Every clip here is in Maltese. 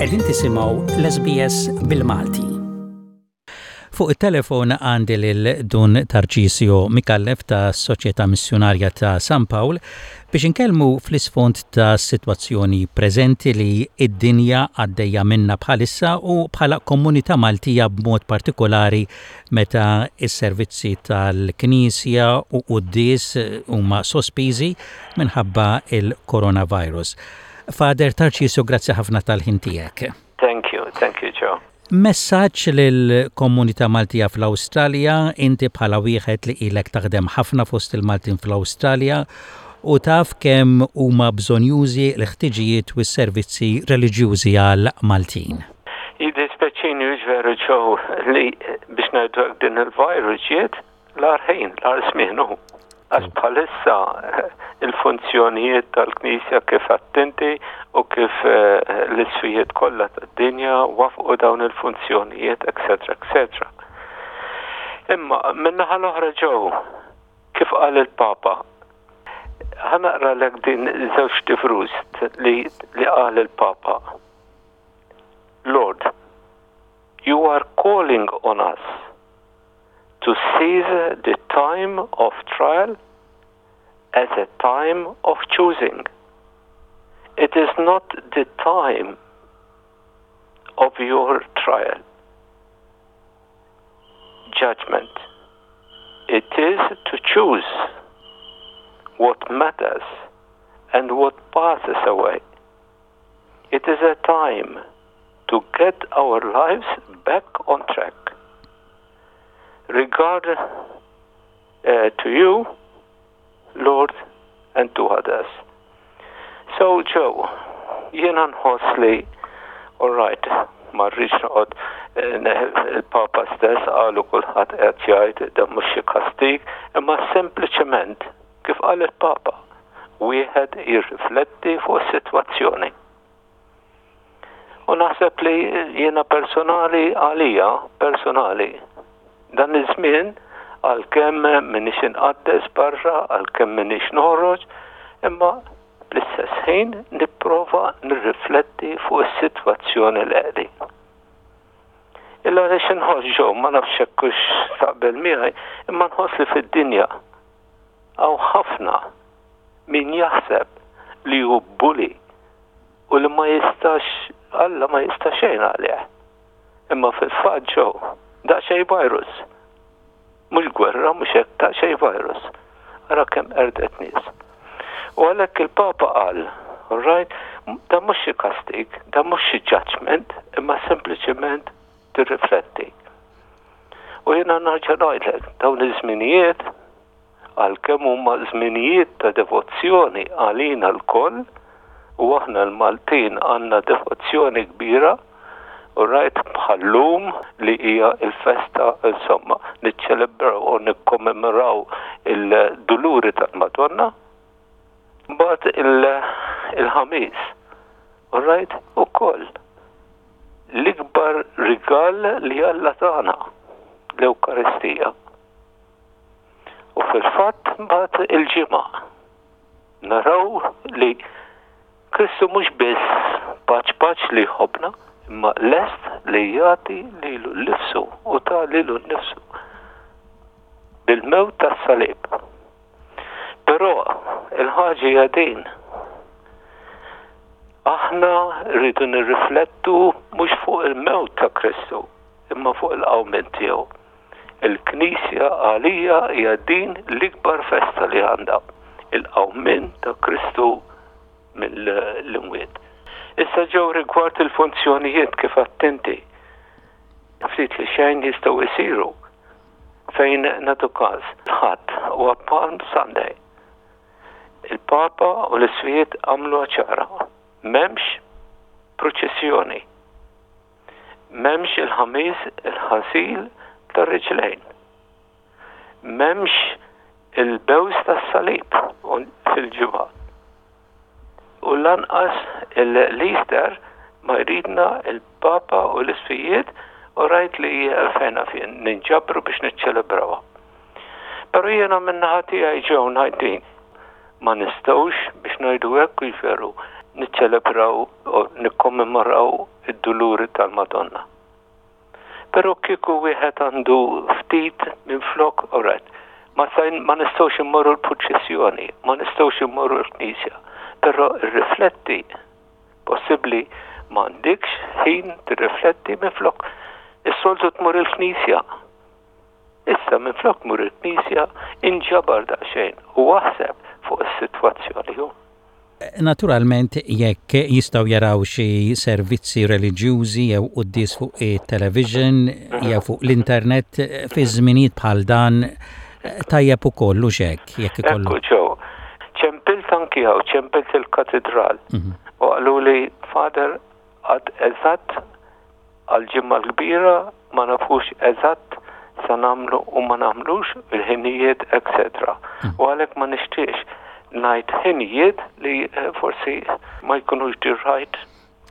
Qegħdin tisimgħu l-SBS bil-Malti. Fuq it-telefon għandi lil Dun Tarċisio Micallef ta' Soċjetà Missjunarja ta' San Pawl biex inkellmu fl-isfond ta' sitwazzjoni preżenti li d-dinja għaddejja minnha bħalissa u bħala komunità Maltija b'mod partikolari meta s-servizzi tal-Knisja u quddies huma sospiżi minħabba il-coronavirus. Father Tarċisio, grazzi ħafna tal-ħin tiegħek. Thank you, thank you, Joe. Messaġġ lill-komunità Maltija fl-Awstralja, inti bħala wieħed li ilek taħdem ħafna fost il-Maltin fl-Awstralja u taf kemm huma bżonjużi l-ħtiġijiet u s-servizzi reliġjużi għal Maltin. Jiddispjaċini hux veru Joe li biex ngħidu hekk din il-virus ġiet L-agħar ħin, l-agħar żmien hu. Għax bħalissa il-funzjonijiet tal-Knisja kif għedt inti u kif eh, l-isfijiet kollha tad-dinja wafqu dawn il-funzjonijiet, etc. etc. Imma min-naħa l-oħra ġew kif qal il-Papa, ħa naqralek din żewġ tifrus li, li qal il-Papa. Lord, you are calling on us to seize the time of trial as a time of choosing. It is not the time of your trial, judgment. It is to choose what matters and what passes away. It is a time to get our lives back on track. Regard uh, to you, Lord, and to others. So, Joe, jiena nħoss li, all right, ma rridx noqgħod eh, il-Papa stess qalu kulħadd qed jgħid dan mhux xi kastig, imma sempliċement kif qal il-Papa, wieħed jirrifletti fuq is-sitwazzjoni. U naħseb li jiena personali għalija, personali, dan iż-żmien għalkemm m'iniex inqaddes barra, għalkemm m'iniex noħroġ, imma fl-istess ħin nipprova nirrifletti fuq is-sitwazzjoni li qegħdin. Illa għaliex inħoss ġew ma nafx hekk hux taqbel miegħi, imma nħoss li fid-dinja hawn ħafna min jaħseb li hu bully u li ma jistax Alla ma jista' xejn għalih. Imma fil-fatt ġew daqsxejn virus. Mhux gwerra, mhux hekk daqsxejn virus. Ara kemm qerdet nies. U għalhekk il-Papa qal, all right, dan mhux xi kastig, dan mhux xi judgment, imma sempliċement tirrifletti. U jiena nerġa' ngħidlek, dawn iż-żminijiet għalkemm huma żminijiet ta' devozzjoni għalina lkoll, u aħna l-Maltin għandna devozzjoni kbira, u rajt bħal-lum li hija l-festa insomma niċċelebraw u nikkommemoraw il-duluri tal-Madonna. Mbagħad il-ħamis, u rajt ukoll l-ikbar rigal li Alla tana, l-Ewkaristija. U fil-fatt mbagħad il-ġimgħa naraw li Kristu mhux biss paċ paċ li jħobbna, imma lest li jagħti lilu nnifsu u ta lilu nnifsu bil-mewt tas-salib. Però il-ħaġa hija din. Aħna rridu nirriflettu mhux fuq il-mewt ta' Kristu, imma fuq il-qawmien tiegħu. Il-Knisja għalija hija din l-ikbar festa li għandha, il-qawmien ta' Kristu mill-imwiet. Issa ġew rigward il-funzjonijiet kif għedt inti, ftit li xejn jistgħu jsiru fejn nagħtu każ il-Ħadd huwa Palm Sunday. Il-Papa u l-Isqfijiet għamluha ċara, m'hemmx pruċissjoni. M'hemmx il-Ħamis il-ħasil tar-riġlejn. M'hemmx il-bews tas-salib fil-ġimgħa. U lanqas l-Easter ma jridna il-Papa u l-Isqfijiet u rajt li fejna fien ninġabru biex niċċelebrawha. Però jiena min-naħa tiegħi ġew ngħid din. Ma nistgħux biex ngħidu hekk hux veru niċċelebraw u nikkommemoraw. id-duluri tal-Madonna. Però kieku wieħed għandu ftit minflok, all right, ma, ma nistgħux immorru l-purċissjoni, ma nistgħux immorru l-knisja, però rrifletti, possibbli m'għandikx ħin tirrifletti minflok is-soltu tmur il-knisja. Issa minflok tmur il-knisja inġabar daqsxejn u aħseb fuq is-sitwazzjoni. Naturalment jekk jistgħu jaraw xi servizzi reliġjużi jew quddies fuq it-television jew fuq l-internet fi żminijiet bħal dan tajjeb ukoll hux hekk jekk ikollu. Ekku ġew. Ċempilt anki hawn, ċempilt il-katidral. Mhm. U qaluli Father għad eżatt Għall-Ġimgħa l-Kbira ma nafux eżatt sa nagħmlu u ma nagħmlux, il-ħinijiet, etc. U għalhekk ma nixtieqx ngħid ħinijiet li eh, forsi ma jkunux the right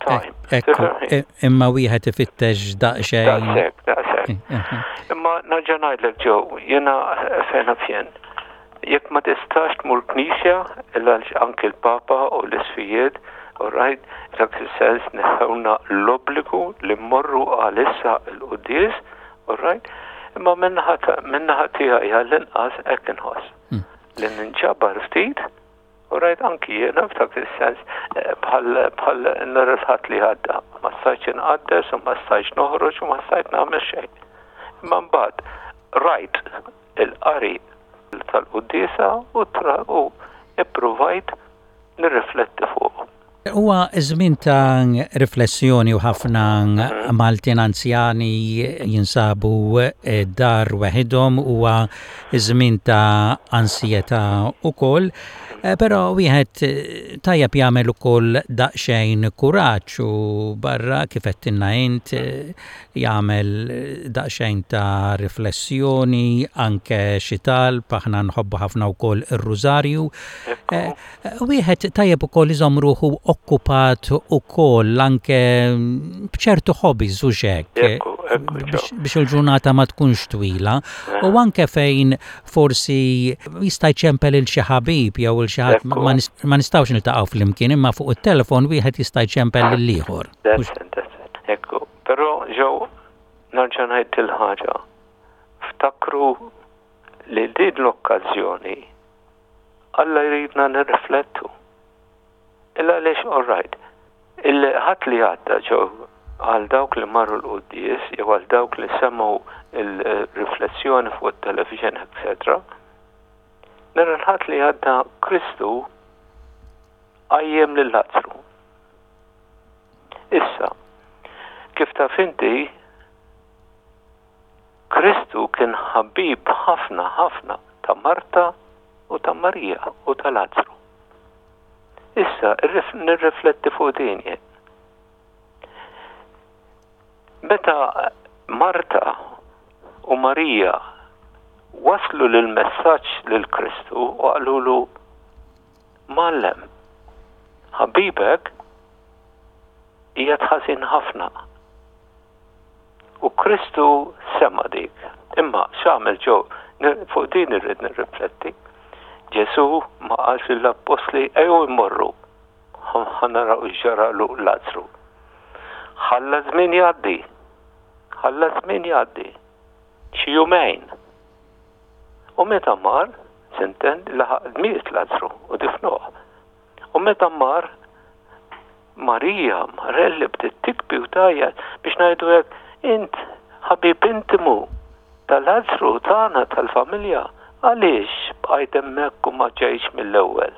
time. Ekku, imma wieħed ifittex daqsxejn. Daqshekk, daqshekk. Eh, eh, imma nerġa' ngħidlek ġew, jiena fejn fjen. Jekk ma tistax tmur knisja, għaliex anki l-Papa u l-Isqfijiet, all right, f'dak is-sens neħħewlna l-obbligu li mmorru għalissa l-quddies, all right, imma min-naħa tiegħi għall-inqas hekk inħoss. Hmm. Li ninġabar ftit, all right, anki jiena f'dak is-sens eh, bħal bħal nhar il-Ħadd li għadda, ma stajtx inqaddes u ma stajtx noħroġ u ma stajt nagħmel xejn. Imma mbagħad rajt il-qari tal-quddiesa u u ippruvajt nirrifletti fuqu. Huwa żmien ta' riflessjoni u ħafna Maltin anzjani jinsabu d-dar weħidhom, huwa żmien ta' ansjetà ukoll, però wieħed tajjeb jagħmel ukoll daqsxejn kuraġġ u barra kif għedtilna int jagħmel daqsxejn ta' riflessjoni, anke xi talb, aħna nħobbu ħafna wkoll ir-rużarju. Eh, wieħed tajjeb ukoll iżomm ruħu okkupat ukoll anke b'ċertu hobbies u xek biex il-ġurnata ma tkunx twila u anke fejn forsi jista' jċempel il xi ħabib jew il xi ħadd ma nistgħux niltaqgħu flimkien imma fuq it-telefon wieħed jista' jċempel lil ieħor. Ekku, però ġew nerġa' ngħid il-ħaġa. Ftakru li din l-okkażjoni Alla jridna nirriflettu. Illa għaliex all right. Il-ħadd li għadda ġew għal dawk li marru l-quddies jew għal dawk li semgħu il-riflessjoni fuq it-television, etc. Nhar il-Ħadd li għadda Kristu qajjem lil Lazzru. Issa, kif taf inti, Kristu kien ħabib ħafna ħafna ta' Marta u ta' Marija u ta' Lazzru. Issa, nirrifletti fuq din jien. Meta Marta u Marija waslu l-messaġġ lil Kristu u qalulu Mgħallem, ħabibek qiegħed ħażin ħafna. U Kristu sema' dik. Imma x'għamel ġo fuq din irrid nirrifletti. Ġesù ma qalx lill-appostli ejjew immorru ħa naraw x'ġaralu Lazzru. Ħalla żmien jgħaddi. Ħalla żmien jgħaddi. Xi jumejn. U meta mar, sinten, laħaq miet Lazzru u difnuh. U meta mar, Marija Marelli bdiet tikbi u tgħajjat biex ngħidu hekk, int ħabib intimu ta' Lazzru tagħna tal-familja, għaliex bqajt hemmhekk u ma ġejtx mill-ewwel?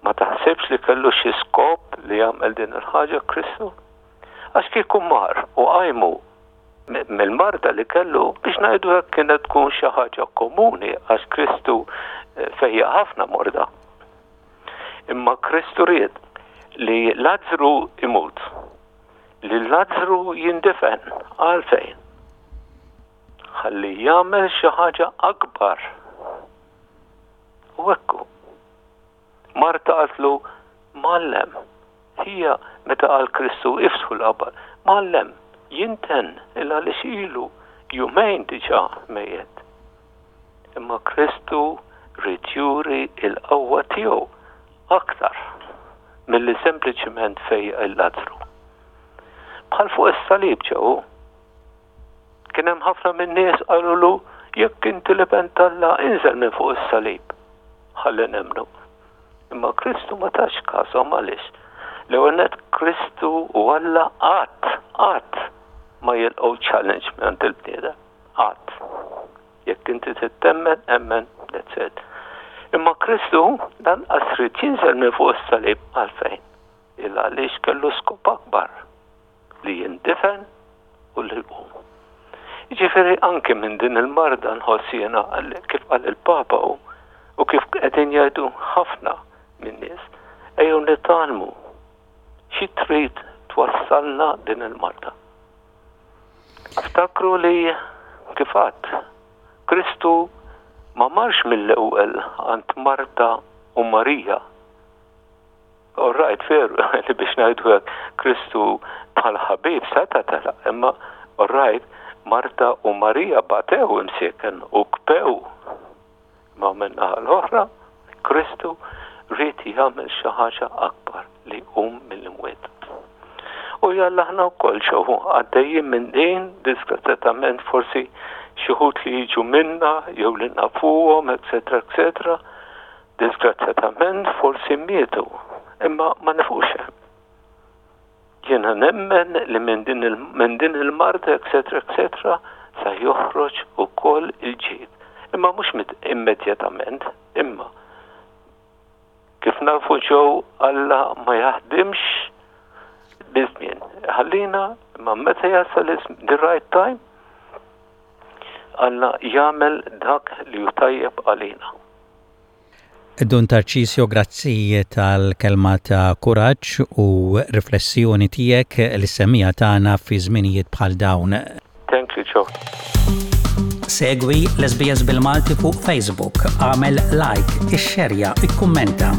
Ma taħsibx li kellu xi skop li jagħmel din il-ħaġa Kristu? Għax kieku mar u qajmu mill-marda li kellu biex ngħidu hekk kienet tkun xi ħaġa komuni għax Kristu eh, fejjaq ħafna morda. Imma Kristu ried li Lazzru imut, li Lazzru jindifen għalfejn. Ħalli jagħmel xi ħaġa akbar. U ekku, Marta qaltlu, Mgħallem, hija meta qal Kristu iftħu l-qabar, Mgħallem, jinten il għaliex ilu jumejn diġà mejjet. Imma Kristu ried juri l-qawwa tiegħu aktar milli sempliċement fejjaq il-Lazzru. Bħal fuq is-salib ġew. Kien hemm ħafna min-nies qalulu jekk inti l-Iben t'Alla inżel minn fuq is-salib. Ħalli nemmnu. Imma Kristu ma tax kashom għaliex? L-ewwel nett Kristu u Alla qatt, qatt ma jilqgħu challenge mingħand il-bniedem. Qatt. Jekk inti trid temmen, emmen, that's it. Imma Kristu lanqas ried jinżel minn fuq is-salib għalfejn? Il għaliex kellu skop akbar li jindifen u li jqum. Jiġifieri anki minn din il-marda nħoss jiena kif qal il-Papa u u kif qegħdin jgħidu ħafna min-nies, ejjew nitgħallmu xi trid twassalna din il-marda. Ftakru li kif għadt, Kristu ma marx mill-ewwel għand Marta u Marija All right, veru, li biex ngħidu hekk, Kristu bħal ħabib seta' telaq, imma all right, Marta u Marija batew imsieken u kbew. Imma min-naħa l-oħra, Kristu ried jagħmel xi ħaġa akbar li jqum mill-imwiet. U jalla aħna wkoll xew għaddejjin minn din, disgrazzjatament forsi xi wħud li jiġu minna jew li nafuhom, eċetera, eċetera, Disgrazzjatament forsi mietu, imma ma nifqux hemm. Jiena nemmen li minn din il, minn din il-marda etc. etc. sa joħroġ ukoll il-ġid. Imma mhux immedjatament, imma kif nafu ġew Alla ma jaħdimx biż-żmien. Ħallina imma meta jasal the right time Alla jagħmel dak li hu tajjeb għalina. Dun Tarcisio, grazzi tal-kelma ta' kuraġġ u riflessjoni tiegħek lis-semmiegħa tagħna fi żminijiet bħal dawn. Thank you, Joe. Segwi l-SBS bil-Malti fuq Facebook, agħmel like, ixxerja, ikkummenta.